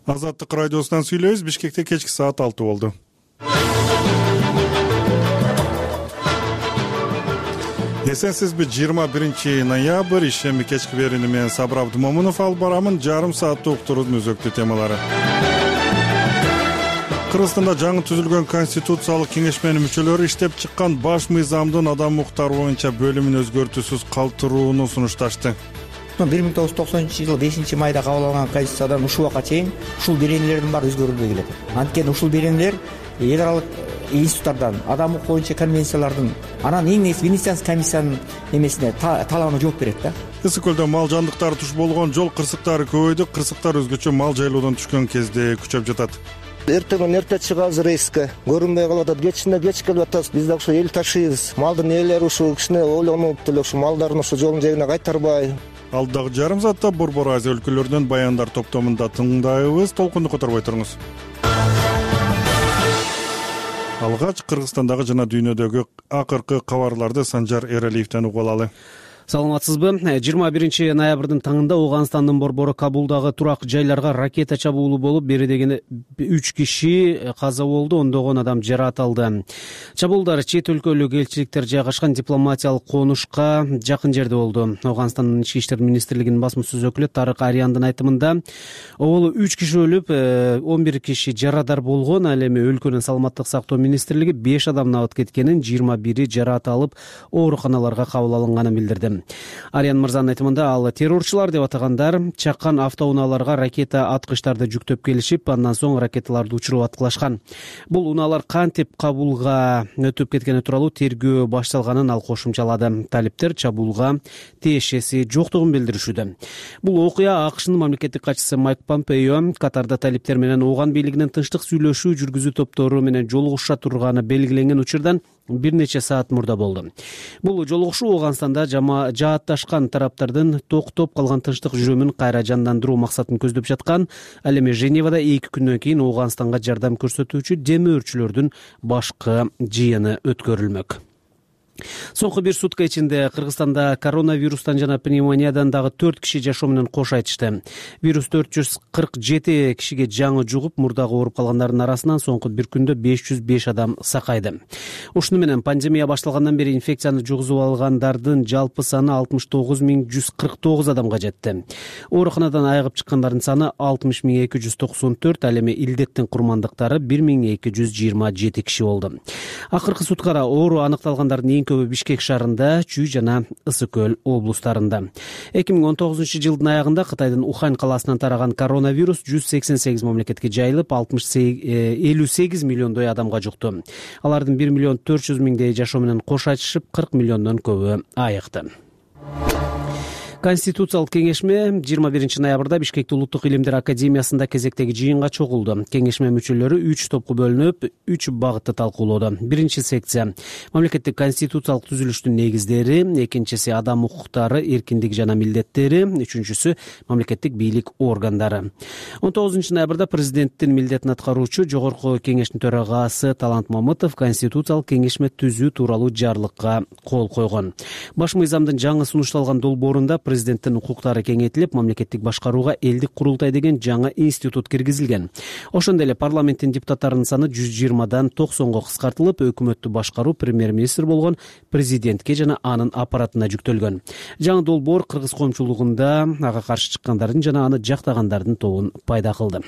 Азаттык радиосунан сүйлөйбүз. Бишкекте кечки саат 6 болду. Эсенсизби, 21 ноябрь ишемби кечки берүүнү менен Сабыр Абдымомунов алып барамын. Жарым сааттык уктуруунун өзөктүү темалары. Кыргызстанда жаңы түзүлгөн Конституциялык кеңешменин мүчөлөрү иштеп чыккан баш мыйзамдын адам укуктары боюнча бөлүмүн өзгөртүүсүз калтырууну сунушташты. 1990 5 майда кабыл алынган Конституциядан ушул убакка чейин ушул беренелердин баары өзгөрүлбөй келет. Анткени ушул беренелер эл аралык институттардан, адам укугу боюнча конвенциялардын, анан эң негизи Венецианский комиссиянын эмесине талабына жооп берет да. Ысык көлдө мал жандыктары туш болгон, жол кырсыктары көбөйдү. Кырсыктар өзгөчө мал жайлоодан түшкөн кезде күчөп жатат. Эртеңден эрте чыгабыз рейске, көрүнбөй калып атат. Кечинде кеч келип атабыз. Биз да ошо эл ташыйбыз. Малдын ээлери ушу кичине ойлонуп деле ушу малдарын ошо жолдун жээгине кайтарбай. Алдагы жарым саатта Борбор Азия өлкөлөрүнөн баяндар топтомунда тыңдайбыз. Толкунду которбой туруңуз. Алгач Кыргызстандагы жана дүйнөдөгү акыркы кабарларды Санжар Эралиевден угуп алалы. Саламатсызбы? 21 ноябрдын таңында Ооганстандын борбору Кабулдагы турак жайларга ракета чабуулу болуп, бери дегене 3 киши каза болду, ондогон адам жаракат алды. Чабуулдар чет өлкөлүк элчиликтер жайгашкан дипломатиялык конушка жакын жерде болду. Ооганстандын ички иштер министрлигинин басмасөз өкүлү Тарык Ариандын айтымында, оболу 3 киши өлүп, 11 киши жарадар болгон. Ал эми өлкөнүн саламаттык сактоо министрлиги 5 адамдын абыт кеткенин, 21 жаракат алып, ооруканаларга кабыл алынганын билдирди. Ариан мырзанын айтымында, ал террорчулар деп атагандар чаккан автоунааларга ракета аткычтарды жүктөп келишип, андан соң ракеталарды учуруп аткылашкан. Бул унаалар кантип Кабулга өтүп кеткени тууралуу тергөө башталганын ал кошумчалады. Талиптер чабуулга тиешеси жоктугун билдиришүүдө. Бул окуя АКШнын мамлекеттик катчысы Майк Помпео Катарда талиптер менен Ооган бийлигинин тынчтык сүйлөшүү жүргүзүү топтору менен жолугуша турганы белгиленген учурдан бир нече саат мурда болду. Бул жолугушуу Ооганстанда жаатташкан тараптардын токтоп калган тынчтык жүрүмүн кайра жандандыруу максатын көздөп жаткан. Ал эми Женевада 2 күндөн кийин Ооганстанга жардам көрсөтүүчү демөөрчүлөрдүн башкы жыйыны өткөрүлмөк. Соңку бир сутка ичинде Кыргызстанда коронавирустан жана пневмониядан дагы 4 киши жашоо менен кош айтышты. Вирус 447 кишиге жаңы жугуп, мурдагы ооруп калгандардын арасынан соңку бир күндө 505 адам сакайды. Ушуну менен пандемия башталгандан бери инфекцияны жугузуп алгандардын жалпы саны 69149 адамга жетти. Ооруканадан айыгып чыккандардын саны 60294, ал эми илдеттин курмандыктары 1227 киши болду. Акыркы суткада оору аныкталгандардын көбү Бишкек шаарында, Чүй жана Ысык көл облустарында. 2019 жылдын аягында Кытайдын Ухань каласынан тараган коронавирус 188 мамлекетке жайылып, 58 миллиондой адамга жукту. Алардын 1 миллион 400 миңдей жашоо менен кош айтышып, 40 миллиондон көбү айыкты. Конституциялык кеңешме 21 ноябрда Бишкекте Улуттук илимдер академиясында кезектеги жыйынга чогулду. Кеңешме мүчөлөрү 3 топко бөлүнүп, 3 багытты талкуулоодо. Биринчи секция мамлекеттик конституциялык түзүлүштүн негиздери, экинчиси адам укуктары, эркиндиги жана милдеттери, үчүнчүсү мамлекеттик бийлик органдары. 19 ноябрда президенттин милдетин аткаруучу Жогорку кеңештин төрагасы Талант Мамытов конституциялык кеңешме түзүү тууралуу жарлыкка кол койгон. Баш мыйзамдын жаңы сунушталган долбоорунда президенттин укуктары кеңейтилип, мамлекеттик башкарууга элдик курултай деген жаңы институт киргизилген. Ошондой эле парламенттин депутаттарынын саны 120дан 90го кыскартылып, өкмөттү башкаруу премьер-министр болгон президентке жана анын аппаратына жүктөлгөн. Жаңы долбоор кыргыз коомчулугунда ага каршы чыккандардын жана аны жактагандардын тобун пайда кылды.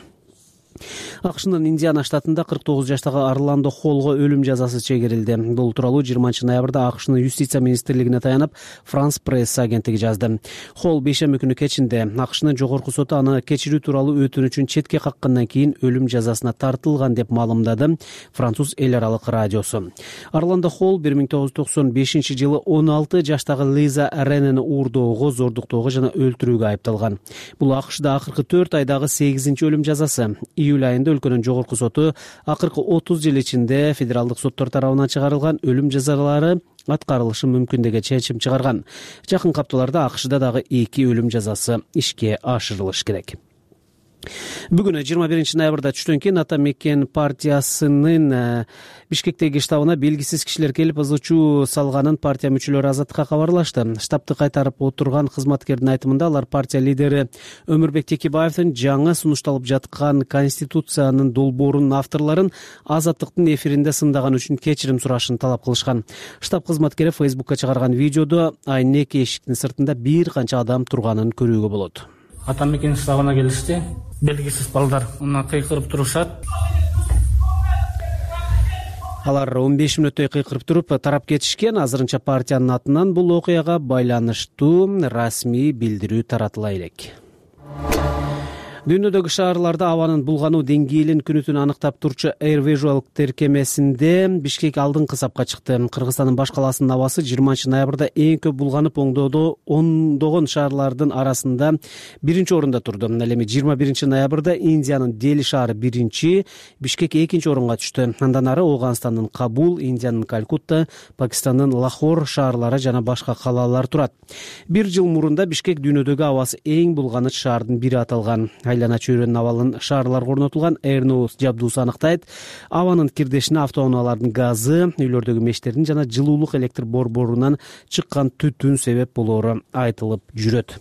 АКШнын Индиана штатында 49 жаштагы Орландо Холлго өлүм жазасы чегерилди. Бул тууралуу 20 ноябрда АКШнын юстиция министрлигине таянып, Франс пресс агенттиги жазды. Холл бейшемби күнү кечинде АКШнын жогорку соту аны кечирүү тууралуу өтүнүчүн четке каккандан кийин өлүм жазасына тартылган деп маалымдады француз эл аралык радиосу. Орландо Холл 1995 жылы 16 жаштагы Лиза Ренени уурдоого, зордуктоого жана өлтүрүүгө айыпталган. Бул АКШда акыркы 4 айдагы 8-чи өлүм жазасы. Июль айында өлкөнүн жогорку соту акыркы 30 жыл ичинде федералдык соттор тарабынан чыгарылган өлүм жазалары аткарылышы мүмкүн деген чечим чыгарган. Жакынкы апталарда АКШда дагы 2 өлүм жазасы ишке ашырылышы керек. Бүгүн 21 ноябрда түштөн кийин Ата Мекен партиясынын Бишкектеги штабына белгисиз кишилер келип ызы чуу салганын партия мүчөлөрү Азаттыкка кабарлашты. Штабты кайтарып отурган кызматкердин айтымында алар партия лидери Өмүрбек Текебаевдин жаңы сунушталып жаткан конституциянын долбоорунун авторлорун Азаттыктын эфиринде сындаган үчүн кечирим сурашын талап кылышкан. Штаб кызматкери Фейсбукка чыгарган видеодо айнек эшиктин сыртында бир канча адам турганын көрүүгө болот. Ата Мекен штабына келишти. Белгисиз балдар мына кыйкырып турушат. Алар 15 мүнөттөй кыйкырып туруп тарап кетишкен. Азырынча партиянын атынан бул окуяга байланыштуу расмий билдирүү таратыла элек. Дүйнөдөгү шаарларда абанын булгануу деңгээлин күнүтүн аныктап турчу Air Visual тиркемесинде Бишкек алдыңкы сапка чыкты. Кыргызстандын баш каласынын абасы 20 ноябрда эң көп булганып, ондогон шаарлардын арасында биринчи орунда турду. Ал эми 21 ноябрда Индиянын Дели шаары биринчи, Бишкек экинчи орунга түштү. Андан ары Ооганстандын Кабул, Индиянын Калькутта, Пакистандын Лахор шаарлары жана башка калалар турат. Бир жыл мурунда Бишкек дүйнөдөгү абасы эң булганыч шаардын бири аталган. Айлана чөйрөнүн абалын шаарларга орнотулган AirNose жабдуусу анықтайт. Абанын кирдешине автоунаалардын газы, үйлөрдөгү мештердин жана жылуулук электр борборунан чыккан түтүн себеп болоору айтылып жүрөт.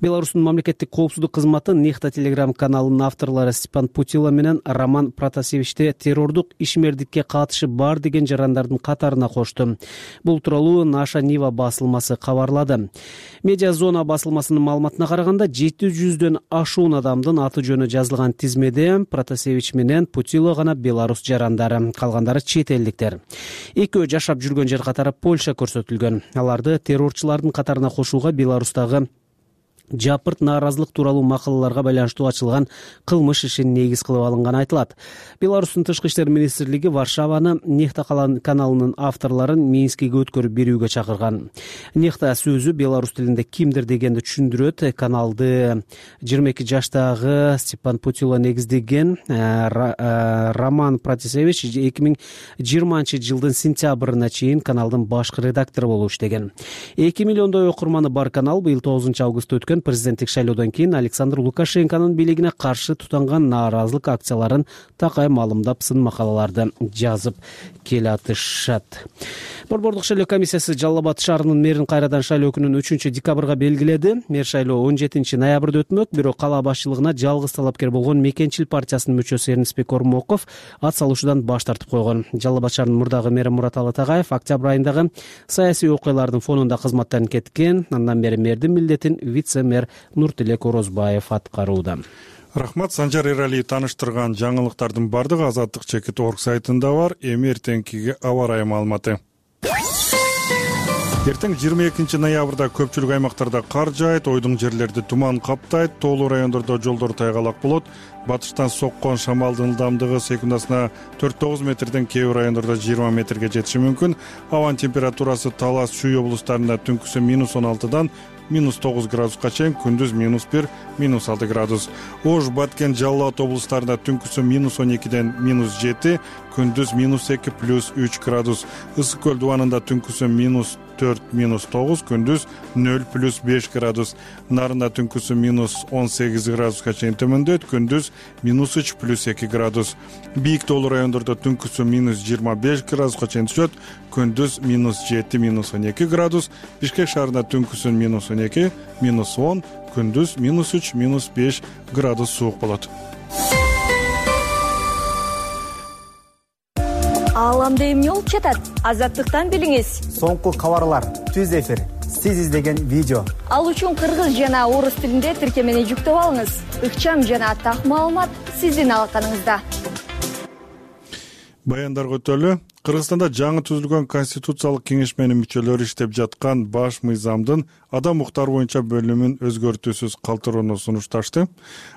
Беларустун мамлекеттик коопсуздук кызматы Нехта телеграм каналынын авторлору Степан Путила менен Роман Протасевичти террордук ишмердикке катышы бар деген жарандардын катарына кошту. Бул тууралуу Наша Нива басылмасы кабарлады. Медиазона басылмасынын маалыматына караганда 700дөн ашуун адамдын аты жөнү жазылган тизмеде Протасевич менен Путила гана беларус жарандары, калгандары чет элдиктер. Экөө жашап жүргөн жер катары Польша көрсөтүлгөн. Аларды террорчулардын катарына кошууга Беларустагы жапырт нааразылык тууралуу макалаларга байланыштуу ачылган кылмыш ишин негиз кылып алынганы айтылат. Беларустун тышкы иштер министрлиги Варшаваны Нехта каналынын авторлорун Минскиге өткөрүп берүүгө чакырган. Нехта сөзү беларус тилинде кимдир дегенди түшүндүрөт. Каналды 22 жаштагы Степан Путила негиздеген. Роман Протасевич 2020 жылдын сентябрына чейин каналдын башкы редактору болуп иштеген. 2 миллиондой окурманы бар канал быйыл 9 августта өткөн президенттик шайлоодон кийин Александр Лукашенконун бийлигине каршы тутанган нааразылык акцияларын такай маалымдап, сын макалаларды жазып келатышат. Борбордук шайлоо комиссиясы Жалал Абад шаарынын мэрин кайрадан шайлоо күнүн 3 декабрга белгиледи. Мэр шайлоо 17 ноябрда өтмөк, бирок кала башчылыгына жалгыз талапкер болгон Мекенчил партиясынын мүчөсү Эрнисбек Ормоков ат салуушудан баш тартып койгон. Жалал Абад шаарынын мурдагы мэри Мураталы Тагаев октябрь айындагы саясий окуялардын фонунда кызматтан кеткен. Андан бери мэрдин милдетин вице-мэр Нуртилек Орозбаев аткарууда. Рахмат. Санжар Эралиев тааныштырган жаңылыктардын бардыгы Азаттык.org сайтында бар. Эми эртеңкиге аба ырайы маалыматы. Эртең 22 ноябрда көпчүлүк аймактарда кар жаайт, ойдуң жерлерди туман каптайт, тоолуу райондордо жолдор тайгалак болот. Батыштан соккон шамалдын ылдамдыгы секундасына 4-9 метрден, кээ бир райондордо 20 метрге жетиши мүмкүн. Абанын температурасы Талас, Чүй облустарында түнкүсү -16дан -9 градуска чейин, күндүз -1, -6 градус. Ош, Баткен, Жалал Абад облустарында түнкүсү -12ден -7, күндүз -2 +3 градус. Ысык көл дубанында түнкүсү -4, -9, күндүз 0 +5 градус. Нарында түнкүсү -18 градуска чейин төмөндөйт, күндүз -3 +2 градус. Бийик тоолуу райондордо түнкүсү -25 градуска чейин түшөт, күндүз -7, -12 градус. Бишкек шаарында түнкүсү -12, -10, күндүз -3, -5 градус суук болот. Ааламда эмне болуп жатат? Азаттыктан билиңиз. Соңку кабарлар, түз эфир, сиз издеген видео. Ал үчүн кыргыз жана орус тилинде тиркемени жүктөп алыңыз. Ыкчам жана так маалымат сиздин алаканыңызда. Баяндарга өтөлү. Кыргызстанда жаңы түзүлгөн Конституциялык кеңешменин мүчөлөрү иштеп жаткан баш мыйзамдын адам укуктары боюнча бөлүмүн өзгөртүүсүз калтырууну сунушташты.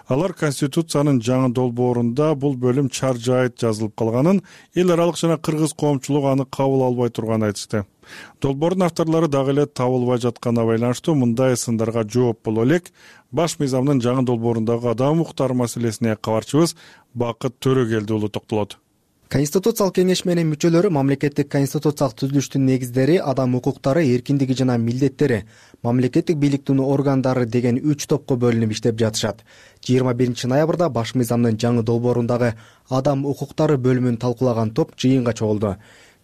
Алар Конституциянын жаңы долбоорунда бул бөлүм чар жайыт жазылып калганын, эл аралык жана кыргыз коомчулугу аны кабыл албай турганын айтышты. Долбоордун авторлору дагы эле табылбай жатканына байланыштуу мындай сындарга жооп боло элек. Баш мыйзамдын жаңы долбоорундагы адам укуктары маселесине кабарчыбыз Бакыт Төрөгелдиулу токтолот. Конституциялык кеңеш менен мүчөлөрү мамлекеттик конституциялык түзүлүштүн негиздери, адам укуктары, эркиндиги жана милдеттери, мамлекеттик бийликтин органдары деген 3 топко бөлүнүп иштеп жатышат. 21 ноябрда баш мыйзамдын жаңы долбоорундагы адам укуктары бөлүмүн талкуулаган топ жыйынга чогулду.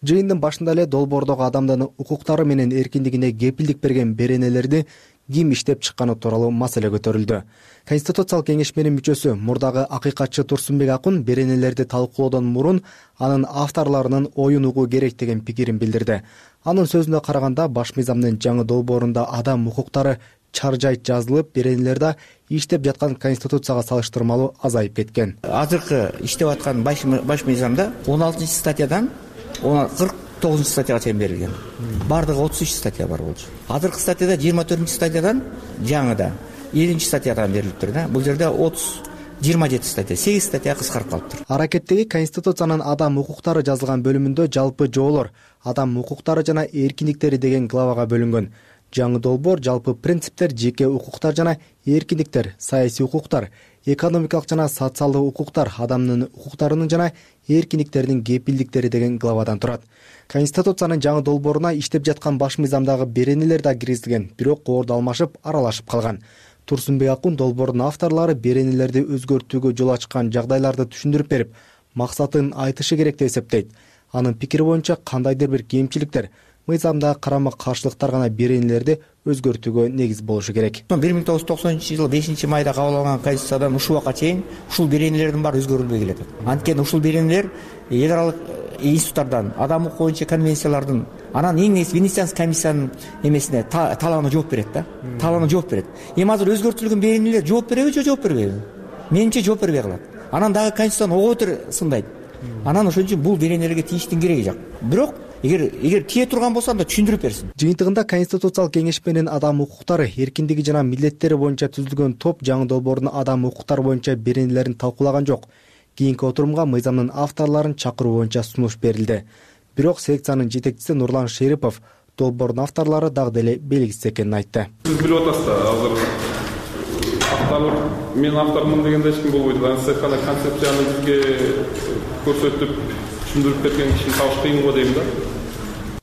Жыйындын башында эле долбоордогу адамдын укуктары менен эркиндигине кепилдик берген беренелерди ким иштеп чыкканы тууралуу маселе көтөрүлдү. Конституциялык кеңеш менен мүчөсү мурдагы акыйкатчы Турсунбек Акун беренелерди талкуулоодон мурун анын авторлорунун оюн угуу керек деген пикирин билдирди. Анын сөзүнө караганда баш мыйзамдын жаңы долбоорунда адам укуктары чаржайт жазылып, беренелерде иштеп жаткан Конституцияга салыштырмалуу азайып кеткен. Азыркы иштеп аткан баш мыйзамда 16-статьядан 49 статьяга чейин берилген. Бардыгы 33 статья бар болчу. Азыркы статьяда 24-статьядан жаңыда 7-статьядан берилиптир да. Бул жерде 27 статья, 8 статья кыскарып калыптыр. Аракеттеги Конституциянын адам укуктары жазылган бөлүмүндө жалпы жоолор, адам укуктары жана эркиндиктери деген главага бөлүнгөн. Жаңы долбоор жалпы принциптер, жеке укуктар жана эркиндиктер, саясий укуктар, экономикалык жана социалдык укуктар, адамдын укуктарынын жана эркиндиктеринин кепилдиктери деген главадан турат. Конституциянын жаңы долбооруна иштеп жаткан баш мыйзамдагы беренелер да киргизилген, бирок коорду алмашып, аралашып калган. Турсунбек Акун долбоордун авторлору беренелерди өзгөртүүгө жол ачкан жагдайларды түшүндүрүп берип, максатын айтышы керек деп эсептейт. Анын пикири боюнча кандайдыр бир кемчиликтер, мыйзамдагы карама-каршылыктар гана беренелерди өзгөртүүгө негиз болушу керек. 1990 5 майда кабыл алынган Конституциядан ушул убакка чейин ушул беренелердин баары өзгөрүлбөй келет. Анткени ушул беренелер эл аралык институттардан, адам укугу боюнча конвенциялардын, анан эң негизи Венецианский комиссиянын эмесине талабына жооп берет да. Талабына жооп берет. Эми азыр өзгөртүлгөн беренелер жооп береби же жооп бербейби? Менимче жооп бербей калат. Анан дагы Конституцияны ого бетер сындайт. Анан ошон үчүн бул беренелерге тийиштин кереги жок. Бирок эгер тие турган болсо анда түшүндүрүп берсин. Жыйынтыгында Конституциялык кеңеш менен адам укуктары, эркиндиги жана милдеттери боюнча түзүлгөн топ жаңы долбоордун адам укуктары боюнча беренелерин талкуулаган жок. Кийинки отурумга мыйзамдын авторлорун чакыруу боюнча сунуш берилди. Бирок секциянын жетекчиси Нурлан Шерипов долбоордун авторлору дагы деле белгисиз экенин айтты. Сиз билип атасыз да, азыр автор мен автормун дегенде эч ким болбойт. Анысы гана концепцияны бизге көрсөтүп түшүндүрүп берген кишини табыш кыйын го дейм да.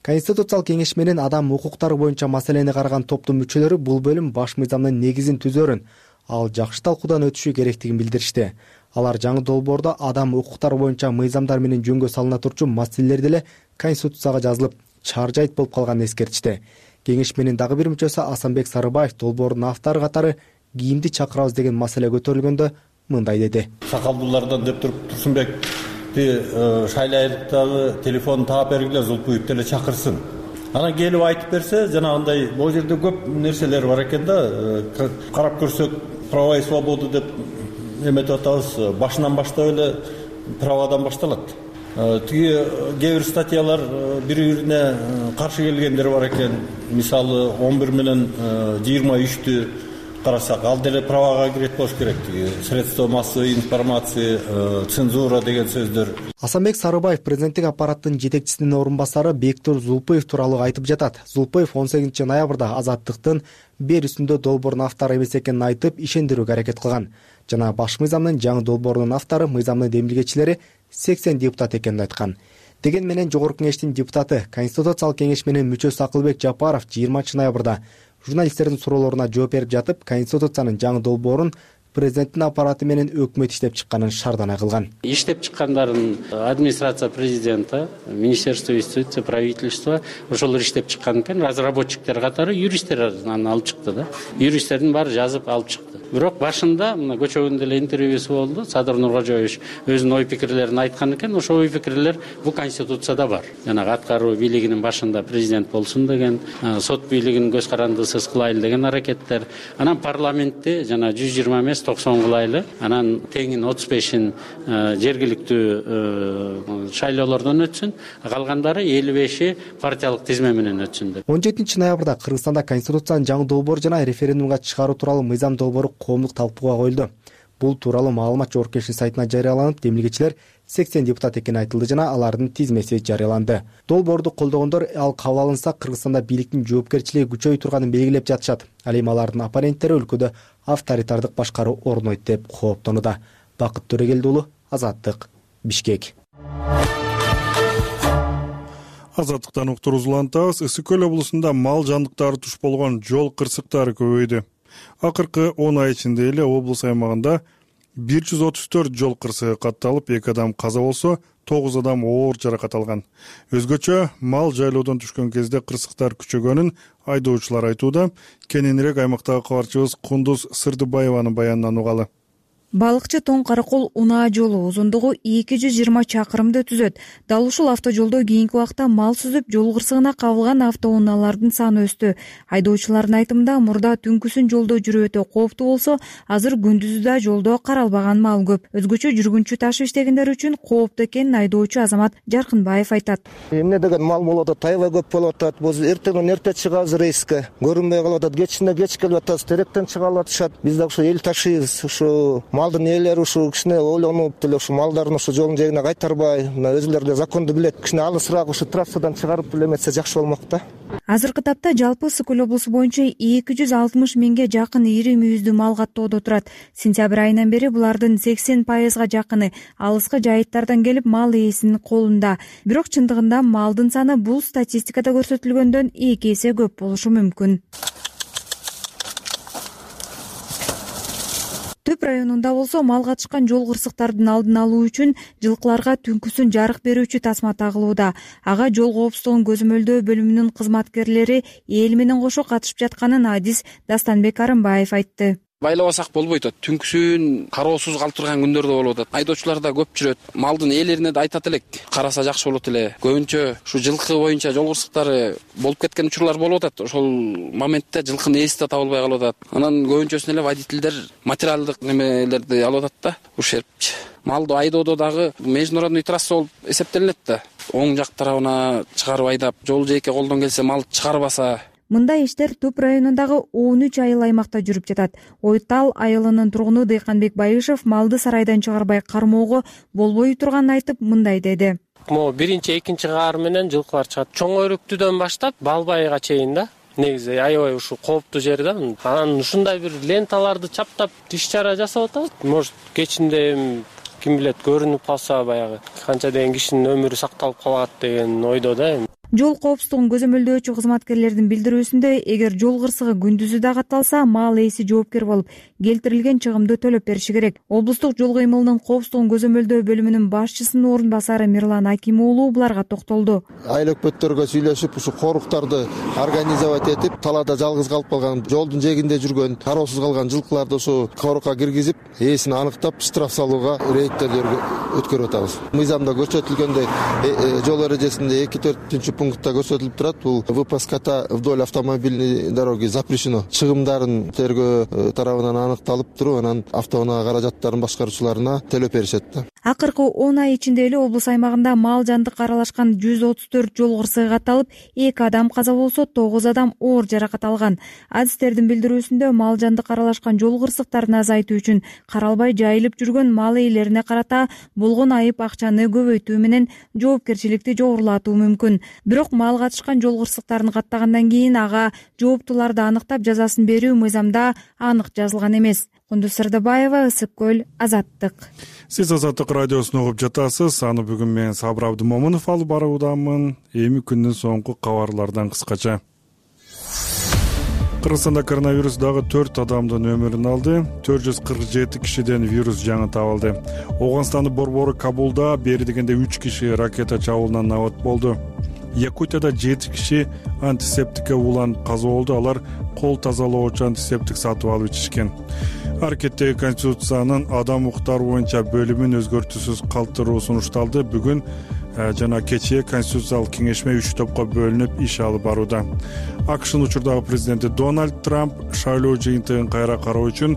Конституциялык кеңеш менен адам укуктары боюнча маселени караган топтун мүчөлөрү бул бөлүм баш мыйзамдын негизин түзөрүн, ал жакшы талкуудан өтүшү керектигин билдиришти. Алар жаңы долбоордо адам укуктары боюнча мыйзамдар менен жөнгө салына турчу маселелер деле Конституцияга жазылып, чаржайт болуп калганын эскертишти. Кеңеш менен дагы бир мүчөсү Асанбек Сарыбаев долбоордун автору катары кийимди чакырабыз деген маселе көтөрүлгөндө мындай деди. Сакалдуулардан деп туруп Турсунбекти шайлайлыктагы телефонун таап бергиле, Зулпуев деле чакырсын. Анан келип айтып берсе, жанагындай бул жерде көп нерселер бар экен да. Карап көрсөк, права и свобода деп эметип атабыз. Башынан баштап эле правадан башталат. Тиги кээ бир статьялар бири-бирине каршы келгендер бар экен. Мисалы 11 менен 23-тү карасак, ал деле правага кирет болуш керек. Средства массовой информации, цензура деген сөздөр. Асанбек Сарыбаев президенттик аппараттын жетекчисинин орун басары Бектур Зулпуев тууралуу айтып жатат. Зулпуев 18 ноябрда Азаттыктын бер үстүндө долбоордун автору эмес экенин айтып, ишендирүүгө аракет кылган. Жана баш мыйзамдын жаңы долбоорунун автору мыйзамдын демилгечилери 80 депутат экенин айткан. Деген менен жогорку кеңештин депутаты, Конституциялык кеңеш менен мүчөсү Акылбек Жапаров 20 ноябрда журналисттердин суроолоруна жооп берип жатып, Конституциянын жаңы долбоорун президенттин аппараты менен өкмөт иштеп чыкканын шаарданай кылган. Иштеп чыккандарын администрация президента, министерство юстиции, правительство ошолор иштеп чыккан экен. Разработчиктер катары юристтер аны алып чыкты да. Юристтердин баары жазып алып чыкты. Бирок башында мына көчөгүндө эле интервьюсу болду. Садыр Нуркожоевич өзүнүн ой пикирлерин айткан экен. Ошо ой пикирлер бул Конституцияда бар. Жанагы аткаруу бийлигинин башында президент болсун деген, сот бийлигин көз карандысыз кылайлы деген аракеттер. Анан парламентте жана 120 эмес 90 кылайлы. Анан теңин 35-ин жергиликтүү шайлоолордон өтсүн. Калгандары 55-и партиялык тизме менен өтсүн деп. 17 ноябрда Кыргызстанда Конституциянын жаңы долбоору жана референдумга чыгаруу тууралуу мыйзам долбоору коомдук талкууга коюлду. Бул тууралуу маалымат жогорку кеңештин сайтына жарыяланып, демилгечилер 80 депутат экени айтылды жана алардын тизмеси жарыяланды. Долбоорду колдогондор ал кабыл алынса Кыргызстанда бийликтин жоопкерчилиги күчөй турганын белгилеп жатышат. Ал эми алардын оппоненттери өлкөдө авторитардык башкаруу орнойт деп кооптонууда. Бакыт Төрөгелди уулу, Азаттык, Бишкек. Азаттыктан уктуруубузду улантабыз. Ысык көл облусунда мал жандыктары туш болгон жол кырсыктары көбөйдү. Акыркы 10 ай ичинде эле облус аймагында 134 жол кырсыгы катталып, 2 адам каза болсо, 9 адам оор жаракат алган. Өзгөчө мал жайлоодон түшкөн кезде кырсыктар күчөгөнүн айдоочулар айтууда. Кененирээк аймактагы кабарчыбыз Кундуз Сырдыбаеванын баянынан угалы. Балыкчы Тоң Каракол унаа жолу узундугу 220 чакырымды түзөт. Дал ушул автожолдо кийинки убакта мал сүзүп, жол кырсыгына кабылган автоунаалардын саны өстү. Айдоочулардын айтымында, мурда түнкүсүн жолдо жүрүү өтө кооптуу болсо, азыр күндүзү да жолдо каралбаган мал көп. Өзгөчө жүргүнчү ташып иштегендер үчүн кооптуу экенин айдоочу Азамат Жаркынбаев айтат. Эмне деген мал болуп атат, аябай көп болуп атат. Биз эртеңден эрте чыгабыз рейске. Көрүнбөй калып атат, кечинде кеч келип атабыз, теректен чыга алышат. Биз да ушу эл ташыйбыз, ушу малдын ээлери ушу кичине ойлонуп деле ушу малдарын ушу жолдун жээгине кайтарбай, мына өзүлөрү да законду билет, кичине алысыраак ушу трассадан чыгарып деле эметсе жакшы болмок да. Азыркы тапта жалпы Ысык көл облусу боюнча 260 миңге жакын ири мүйүздүү мал каттоодо турат. Сентябрь айынан бери булардын 80%га жакыны алыскы жайыттардан келип мал ээсинин колунда. Бирок чындыгында малдын саны бул статистикада көрсөтүлгөндөн 2 эсе көп болушу мүмкүн. Төп районунда болсо мал катышкан жол кырсыктардын алдын алуу үчүн жылкыларга түнкүсүн жарык берүүчү тасма тагылууда. Ага жол коопсуздугун көзөмөлдөө бөлүмүнүн кызматкерлери эл менен кошо катышып жатканын адис Дастанбек Арымбаев айтты. Байлабасак болбойт атат. Түнкүсүн кароосуз калып турган күндөрдө болуп атат. Айдоочулар да көп жүрөт. Малдын ээлерине да айтат элек, караса жакшы болот эле. Көбүнчө ушу жылкы боюнча жол кырсыктары болуп кеткен учурлар болуп атат. Ошол моментте жылкынын ээси да табылбай калып атат. Анан көбүнчөсүн эле водительдер материалдык немелерди алып атат да, ушербчи. Малды айдоодо дагы международный трасса болуп эсептелинет да. Оң жак тарабына чыгарып айдап, жол жээкке колдон келсе мал чыгарбаса. Мындай иштер Туп районундагы 13 айыл аймакта жүрүп жатат. Ойтал айылынын тургуну Дыйканбек Байышев малды сарайдан чыгарбай кармоого болбой турганын айтып, мындай деди. Могу биринчи, экинчи каар менен жылкылар чыгат. Чоң өрүктүдөн баштап Балбайга чейин да. Негизи аябай ушу кооптуу жер да. Анан ушундай бир ленталарды чаптап иш чара жасап атабыз. Может, кечинде ким билет көрүнүп калса баягы канча деген кишинин өмүрү сакталып калат деген ойдо да. Жол коопсуздугун көзөмөлдөөчү кызматкерлердин билдирүүсүндө, эгер жол кырсыгы күндүзү да катталса, мал ээси жоопкер болуп, келтирилген чыгымды төлөп бериши керек. Облустук жол кыймылынын коопсуздугун көзөмөлдөө бөлүмүнүн башчысынын орун басары Мирлан Аким уулу буларга токтолду. Айыл өкмөттөргө сүйлөшүп, ушу коруктарды организовать этип, талаада жалгыз калып калган, жолдун жээгинде жүргөн, кароосуз калган жылкыларды ушу корукка киргизип, ээсин аныктап, штраф салууга рейдтер өткөрүп атабыз. Мыйзамда көрсөтүлгөндөй жол эрежесинде 2-4 пунктта көрсөтүлүп турат. Бул выпуската вдоль автомобильной дороги запрещено. Чыгымдарын тергөө тарабынан аныкталып туруп, анан автоунаа каражаттарын башкаруучуларына төлөп беришет да. Акыркы 10 ай ичинде эле облус аймагында мал жандык аралашкан 134 жол кырсыгы катталып, 2 адам каза болсо, 9 адам оор жаракат алган. Адистердин билдирүүсүндө, мал жандык аралашкан жол кырсыктарын азайтуу үчүн каралбай жайылып жүргөн мал ээлерине карата болгон айып акчаны көбөйтүү менен жоопкерчиликти жогорулатуу мүмкүн. Бирок мал катышкан жол кырсыктарын каттагандан кийин ага жооптуларды аныктап жазасын берүү мыйзамда анык жазылган эмес. Кундуз Сырдыбаева, Ысык көл, Азаттык. Сиз Азаттык радиосун угуп жатасыз. Аны бүгүн мен Сабыр Абдымомунов алып баруудамын. Эми күндүн соңку кабарлардан кыскача. Кыргызстанда коронавирус дагы 4 адамдын өмүрүн алды. 447 кишиден вирус жаңы табылды. Ооганстандын борбору Кабулда бери дегенде 3 киши ракета чабуулунан набат болду. Якутияда 7 киши антисептикке уланып каза болду. Алар кол тазалоочу антисептик сатып алып ичишкен. Аракеттеги Конституциянын адам укуктары боюнча бөлүмүн өзгөртүүсүз калтыруу сунушталды. Бүгүн жана кечээ Конституциялык кеңешме 3 топко бөлүнүп иш алып барууда. АКШнын учурдагы президенти Дональд Трамп шайлоо жыйынтыгын кайра кароо үчүн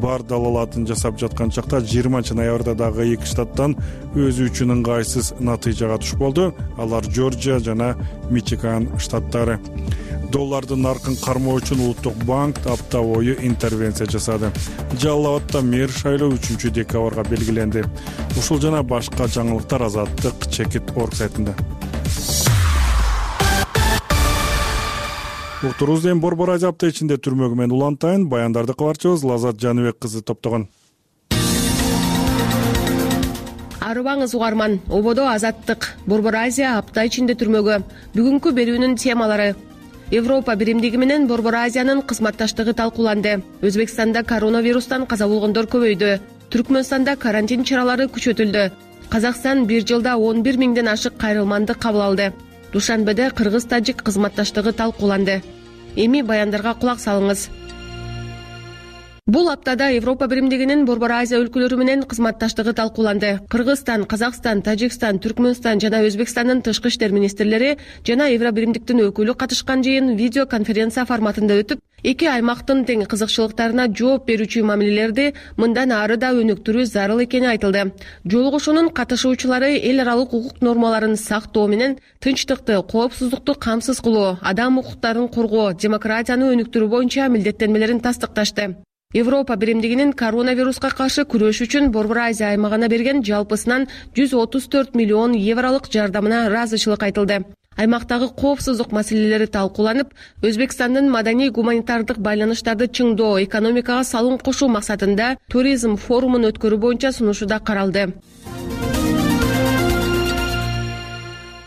бар далалатын жасап жаткан чакта 20 ноябрда дагы 2 штаттан өзү үчүн ыңгайсыз натыйжага туш болду. Алар Жоржия жана Мичиган штаттары. Доллардын наркын кармоо үчүн Улуттук банк апта бою интервенция жасады. Жалал Абадда мэр шайлоо 3 декабрга белгиленди. Ушул жана башка жаңылыктар Азаттык Чекит.org сайтында. Уктурузден Борбор Азия апта ичинде түрмөгү менен улантайын. Баяндарды кабарчыбыз Лазат Жаныбек кызы топтогон. арыбаңыз угарман. Ободо Азаттык. Борбор Азия апта ичинде түрмөгө. Бүгүнкү берүүнүн темалары: Европа биримдиги менен Борбор Азиянын кызматташтыгы талкууланды. Өзбекстанда коронавирустан каза болгондор көбөйдү. Түркмөнстанда карантин чаралары күчөтүлдү. Казакстан бир жылда 11 миңден ашык кайрылманды кабыл алды. Душанбеде кыргыз-тажик кызматташтыгы талкууланды. Эми баяндарга кулак салыңыз. Бул аптада Европа биримдигинин Борбор Азия өлкөлөрү менен кызматташтыгы талкууланды. Кыргызстан, Казакстан, Тажикстан, Түркмөнстан жана Өзбекстандын тышкы иштер министрлери жана Евро биримдиктин өкүлү катышкан жыйын видео конференция форматында өтүп, эки аймактын тең кызыкчылыктарына жооп берүүчү мамилелерди мындан ары да өнүктүрүү зарыл экени айтылды. Жолугушуунун катышуучулары эл аралык укук нормаларын сактоо менен тынчтыкты, коопсуздукту камсыз кылуу, адам укуктарын коргоо, демократияны өнүктүрүү боюнча милдеттенмелерин тастыкташты. Европа биримдигинин коронавируска каршы күрөш үчүн Борбор Азия аймагына берген жалпысынан 134 миллион евролук жардамына ыраазычылык айтылды. Аймактагы коопсуздук маселелери талкууланып, Өзбекстандын маданий гуманитардык байланыштарды чыңдоо, экономикага салым кошуу максатында туризм форумун өткөрүү боюнча сунушу да каралды.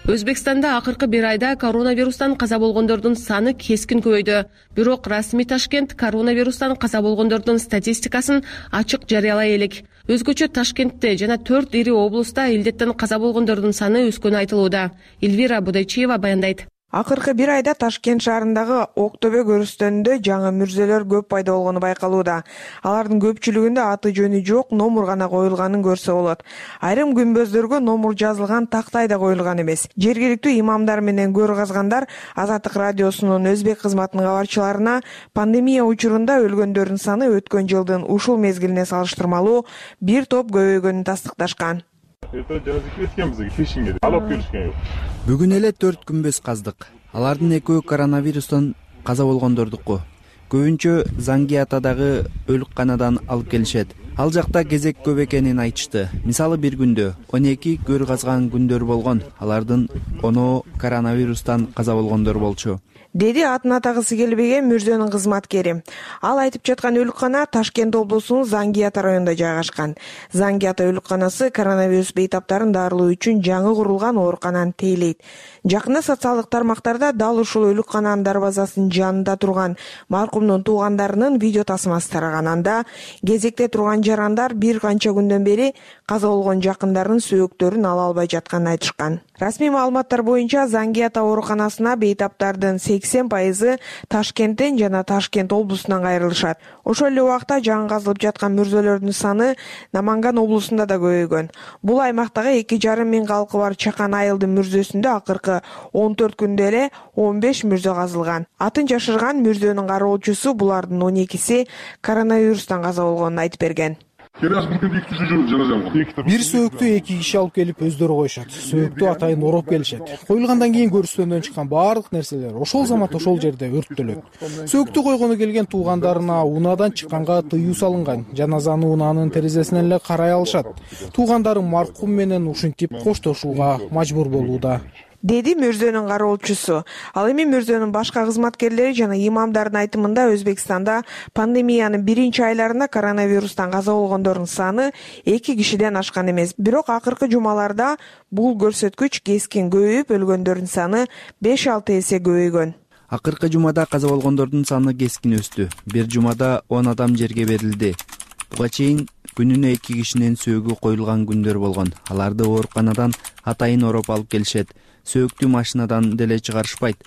Өзбекстанда акыркы бир айда коронавирустан каза болгондордун саны кескин көбөйдү. Бирок расмий Ташкент коронавирустан каза болгондордун статистикасын ачык жарыялай элек. Өзгөчө Ташкентте жана 4 ири облуста илдеттен каза болгондордун саны өскөнү айтылууда. Эльвира Будайчиева баяндайт. Акыркы бир айда Ташкент шаарындагы Ок төбө көрүстөнүндө жаңы мүрзөлөр көп пайда болгону байкалууда. Алардын көпчүлүгүндө аты жөнү жок номур гана коюлганын көрсө болот. Айрым күмбөздөргө номур жазылган тактай да коюлган эмес. Жергиликтүү имамдар менен көр казгандар Азаттык радиосунун өзбек кызматынын кабарчыларына пандемия учурунда өлгөндөрдүн саны өткөн жылдын ушул мезгилине салыштырмалуу бир топ көбөйгөнүн тастыкташкан. Бүгүн эле 4 күмбөз каздык. Алардын экөө коронавирустан каза болгондордуку. Көбүнчө Зангиатадагы өлүкканадан алып келишет. Ал жакта кезек көп экенин айтышты. Мисалы бир күндө 12 көр казган күндөр болгон. Алардын 10 коронавирустан каза болгондор болчу. Деди атын атагысы келбеген мүрзөнүн кызматкери. Ал айтып жаткан өлүккана Ташкент облусунун Зангиата районунда жайгашкан. Зангиата өлүкканасы коронавирус бейтаптарын дарылоо үчүн жаңы курулган оорукананы тейлейт. Жакында социалдык тармактарда дал ушул өлүккананын дарбазасынын жанында турган маркумдун туугандарынын видео тасмасы тараган. Анда кезекте турган жарандар бир канча күндөн бери каза болгон жакындарынын сөөктөрүн ала албай жатканын айтышкан. Расмий маалыматтар боюнча Зангиата ооруканасына бейтаптардын 80% Ташкенттен жана Ташкент облусунан кайрылышат. Ошол эле убакта жаңы казылып жаткан мүрзөлөрдүн саны Наманган облусунда да көбөйгөн. Бул аймактагы 2,5 миң калкы бар Чакан айылдын мүрзөсүндө акыркы 14 күндө эле 15 мүрзө казылган. Атын жашырган мүрзөнүн кароолчусу булардын 12си коронавирустан каза болгонун айтып берген. Бир сөөктү 2 киши алып келип өздөрү коюшат. Сөөктү атайын ороп келишет. Коюлгандан кийин көрүстөндөн чыккан баардык нерселер ошол замат ошол жерде өрттөлөт. Сөөктү койгону келген туугандарына унаадан чыкканга тыюу салынган. Жаназаны унаанын терезесинен эле карай алышат. Туугандарым маркум менен ушинтип коштошууга мажбур болууда, деди мүрзөнүн кароолчусу. Ал эми мүрзөнүн башка кызматкерлери жана имамдардын айтымында Өзбекстанда пандемиянын биринчи айларында коронавирустан каза болгондордун саны 2 кишиден ашкан эмес. Бирок акыркы жумаларда бул көрсөткүч кескин көбөйүп, өлгөндөрдүн саны 5-6 эсе көбөйгөн. Акыркы жумада каза болгондордун саны кескин өстү. Бир жумада 10 адам жерге берилди. Буга чейин күнүнө 2 кишинин сөөгү коюлган күндөр болгон. Аларды ооруканадан атайын ороп алып келишет. Сөөктү машинадан деле чыгарышпайт.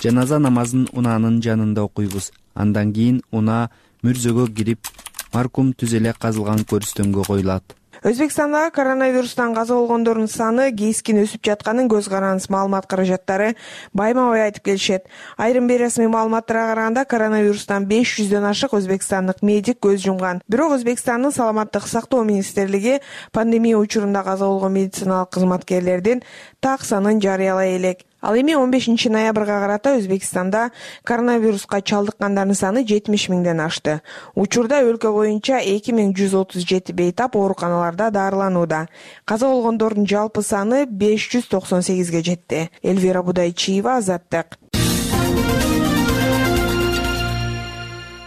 Жаназа намазын унаанын жанында окуйбуз. Андан кийин унаа мүрзөгө кирип, маркум түз эле казылган көрүстөнгө коюлат. Өзбекстандагы коронавирустан каза болгондордун саны кескин өсүп жатканын көз карандысыз маалымат каражаттары байма-бай айтып келишет. Айрым бейресмий маалыматтарга караганда коронавирустан 500дөн ашык өзбекстандык медик көз жумган. Бирок Өзбекстандын саламаттык сактоо министрлиги пандемия учурунда каза болгон медициналык кызматкерлердин так санын жарыялай элек. Ал эми 15 ноябрга карата Өзбекстанда коронавируска чалдыккандардын саны 70 миңден ашты. Учурда өлкө боюнча 2137 бейтап ооруканаларда дарыланууда. Каза болгондордун жалпы саны 598ге жетти. Эльвира Будайчиева, Азаттык.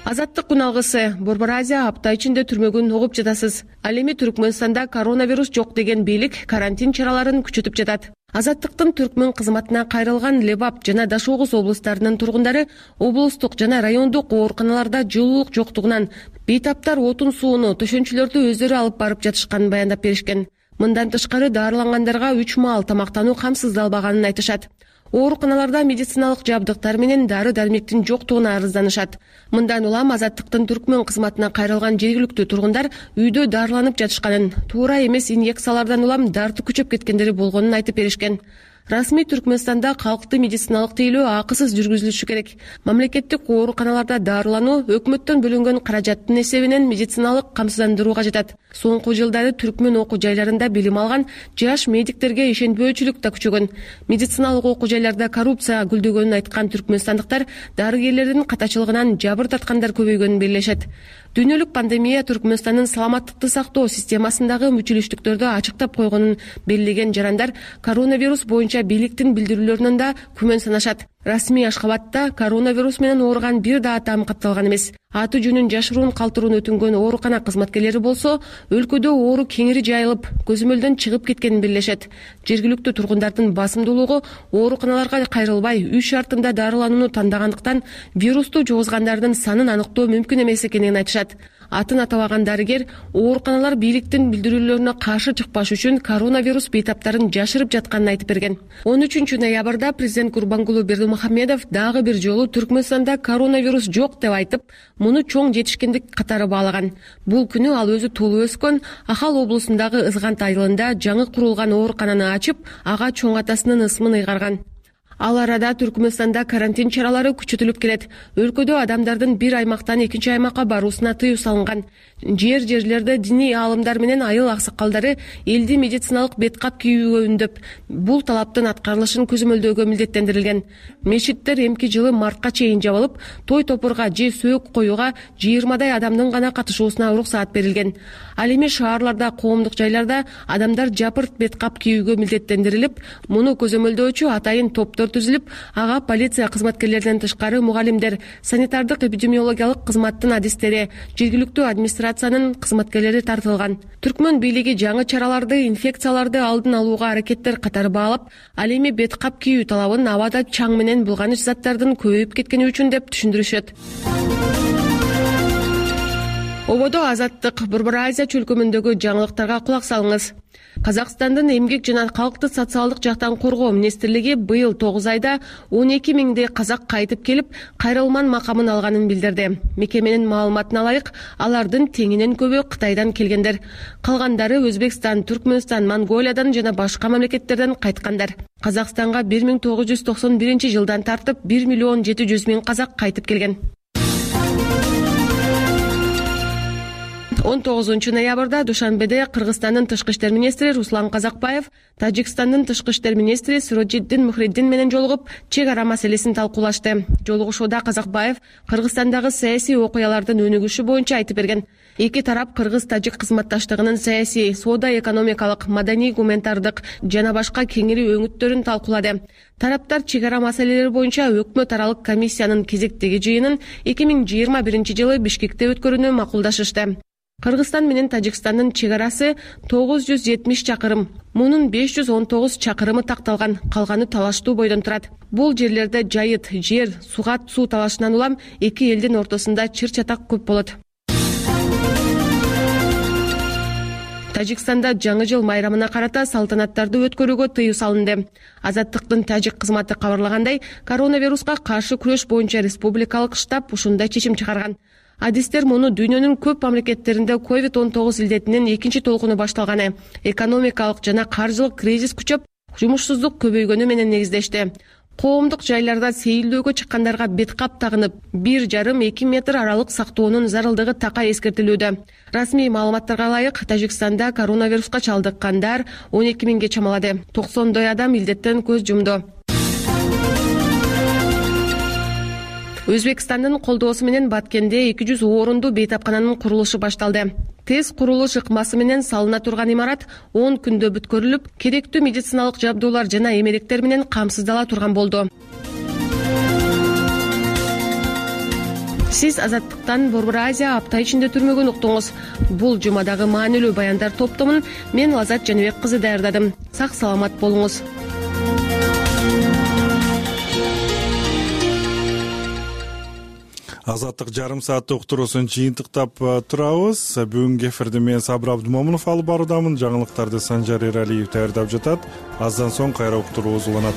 Азаттык күн алгысы. Борбор Азия апта ичинде түрмөгүн угуп жатасыз. Ал эми Түркмөнстанда коронавирус жок деген бийлик карантин чараларын күчөтүп жатат. Азаттыктын Түркмөн кызматына кайрылган Лебап жана Дашогуз облустарынын тургундары облустук жана райондук ооруканаларда жылуулук жоктугунан бейтаптар отун сууну, төшөнчүлөрдү өздөрү алып барып жатышканын баяндап беришкен. Мындан тышкары даарылангандарга 3 маал тамактануу камсыздалбаганын айтышат. Ооруканаларда медициналык жабдыктар менен дары-дармектин жоктугуна арызданышат. Мындан улам Азаттыктын Түркмөн кызматына кайрылган жергиликтүү тургундар үйдө дарыланып жатышканын, туура эмес инъекциялардан улам дарты күчөп кеткендери болгонун айтып беришкен. Расмий Түркмөнстанда калкты медициналык тейлөө акысыз жүргүзүлүшү керек. Мамлекеттик ооруканаларда дарылануу өкмөттөн бөлүнгөн каражаттын эсебинен медициналык камсыздандырууга жатат. Соңку жылдары Түркмөн окуу жайларында билим алган жаш медиктерге ишенбөөчүлүк да күчөгөн. Медициналык окуу жайларда коррупция гүлдөгөнүн айткан түркмөнстандыктар дарыгерлердин катачылыгынан жабыр таткандар көбөйгөнүн белгилешет. Дүйнөлүк пандемия Түркмөнстандын саламаттыкты сактоо системасындагы мүчүлүштүктөрдү ачыктап койгонун белгилеген жарандар коронавирус боюнча бийликтин билдирүүлөрүнөн да күмөн санашат. Расмий Ашхабадта коронавирус менен ооруган бир да адам катталган эмес. Аты жөнүн жашыруун калтыруун өтүнгөн оорукана кызматкерлери болсо, өлкөдө оору кеңири жайылып, көзөмөлдөн чыгып кеткенин белгилешет. Жергиликтүү тургундардын басымдуулугу ооруканаларга кайрылбай, үй шартында дарыланууну тандагандыктан вирусту жугузгандардын санын аныктоо мүмкүн эмес экенин айтышат. Атын атабаган дарыгер ооруканалар бийликтин билдирүүлөрүнө каршы чыкпаш үчүн коронавирус бейтаптарын жашырып жатканын айтып берген. 13 ноябрда президент Гурбангулу Бердимухамедов дагы бир жолу Түркмөнстанда коронавирус жок деп айтып, муну чоң жетишкендик катары баалаган. Бул күнү ал өзү туулуп өскөн Ахал облусундагы Ызгант айылында жаңы курулган оорукананы ачып, ага чоң атасынын ысмын ыйгарган. Ал арада Түркмөнстанда карантин чаралары күчөтүлүп келет. Өлкөдө адамдардын бир аймактан экинчи аймакка баруусуна тыюу салынган. Жерлерде диний аалымдар менен айыл аксакалдары элди медициналык беткап кийүүгө үндөп, бул талаптын аткарылышын көзөмөлдөөгө милдеттендирилген. Мечиттер эмки жылы мартка чейин жабылып, той топурга же сөөк коюуга 20дай адамдын гана катышуусуна уруксаат берилген. Ал эми шаарларда, коомдук жайларда адамдар жапырт беткап кийүүгө милдеттендирилип, муну көзөмөлдөөчү атайын топтор түзүлүп, ага полиция кызматкерлеринен тышкары мугалимдер, санитардык эпидемиологиялык кызматтын адистери, жергиликтүү администрациянын кызматкерлери тартылган. Түркмөн бийлиги жаңы чараларды инфекцияларды алдын алууга аракеттер катары баалап, ал эми беткап кийүү талабын абада чаң менен булганыч заттардын көбөйүп кеткени үчүн деп түшүндүрүшөт. Ободо Азаттык Борбор Азия чөлкөмүндөгү жаңылыктарга кулак салыңыз. Казакстандын эмгек жана калкты социалдык жактан коргоо министрлиги быйыл 9 айда 12 миңдей казак кайтып келип, кайрылман макамын алганын билдирди. Мекеменин маалыматына ылайык, алардын теңинен көбү Кытайдан келгендер. Калгандары Өзбекстан, Түркмөнстан, Монголиядан жана башка мамлекеттерден кайткандар. Казакстанга 1991 жылдан тартып 1 миллион 700 миң казак кайтып келген. 19 ноябрда Душанбеде Кыргызстандын тышкы иштер министри Руслан Казакбаев Тажикстандын тышкы иштер министри Сироджиддин Мухриддин менен жолугуп, чек ара маселесин талкуулашты. Жолугушууда Казакбаев Кыргызстандагы саясий окуялардын өнүгүшү боюнча айтып берген. Эки тарап кыргыз-тажик кызматташтыгынын саясий, соода-экономикалык, маданий-гуманитардык жана башка кеңири өңүттөрүн талкуулады. Тараптар чек ара маселелери боюнча өкмөт аралык комиссиянын кезектеги жыйынын 2021 жылы Бишкекте өткөрүүнү макулдашышты. Кыргызстан менен Тажикстандын чек арасы 970 чакырым. Мунун 519 чакырымы такталган, калганы талаштуу бойдон турат. Бул жерлерде жайыт, жер, сугат суу талашынан улам эки элдин ортосунда чыр-чатак көп болот. Тажикстанда жаңы жыл майрамына карата салтанаттарды өткөрүүгө тыюу салынды. Азаттыктын тажик кызматы кабарлагандай, коронавируска каршы күрөш боюнча республикалык штаб ушундай чечим чыгарган. Адистер муну дүйнөнүн көп мамлекеттеринде COVID-19 илдетинин экинчи толкуну башталганы, экономикалык жана каржылык кризис күчөп, жумушсуздук көбөйгөнү менен негиздешти. Коомдук жайларда сейилдөөгө чыккандарга беткап тагынып, 1,5-2 метр аралык сактоонун зарылдыгы такай эскертилүүдө. Расмий маалыматтарга ылайык, Тажикстанда коронавируска чалдыккандар 12 миңге чамалады. 90 адам илдеттен көз жумду. Өзбекстандын колдоосу менен Баткенде 200 орунду бейтапкананын курулушу башталды. Тез курулуш ыкмасы менен салына турган имарат 10 күндө бүткөрүлүп, керектүү медициналык жабдуулар жана эмелектер менен камсыздала турган болду. сиз Азаттыктан Борбор Азия апта ичинде түрмөгөн уктуңуз. Бул жумадагы маанилүү баяндар топтомун мен Лазат Жаныбек кызы даярдадым. Сак саламат болуңуз. Азаттык жарым сааттык уктуруусун жыйынтыктап турабыз. Бүгүнкү эфирди мен Сабыр Абдымомунов алып баруудамын. Жаңылыктарды Санжар Эралиев даярдап жатат. Аздан соң кайра уктуруубуз уланат.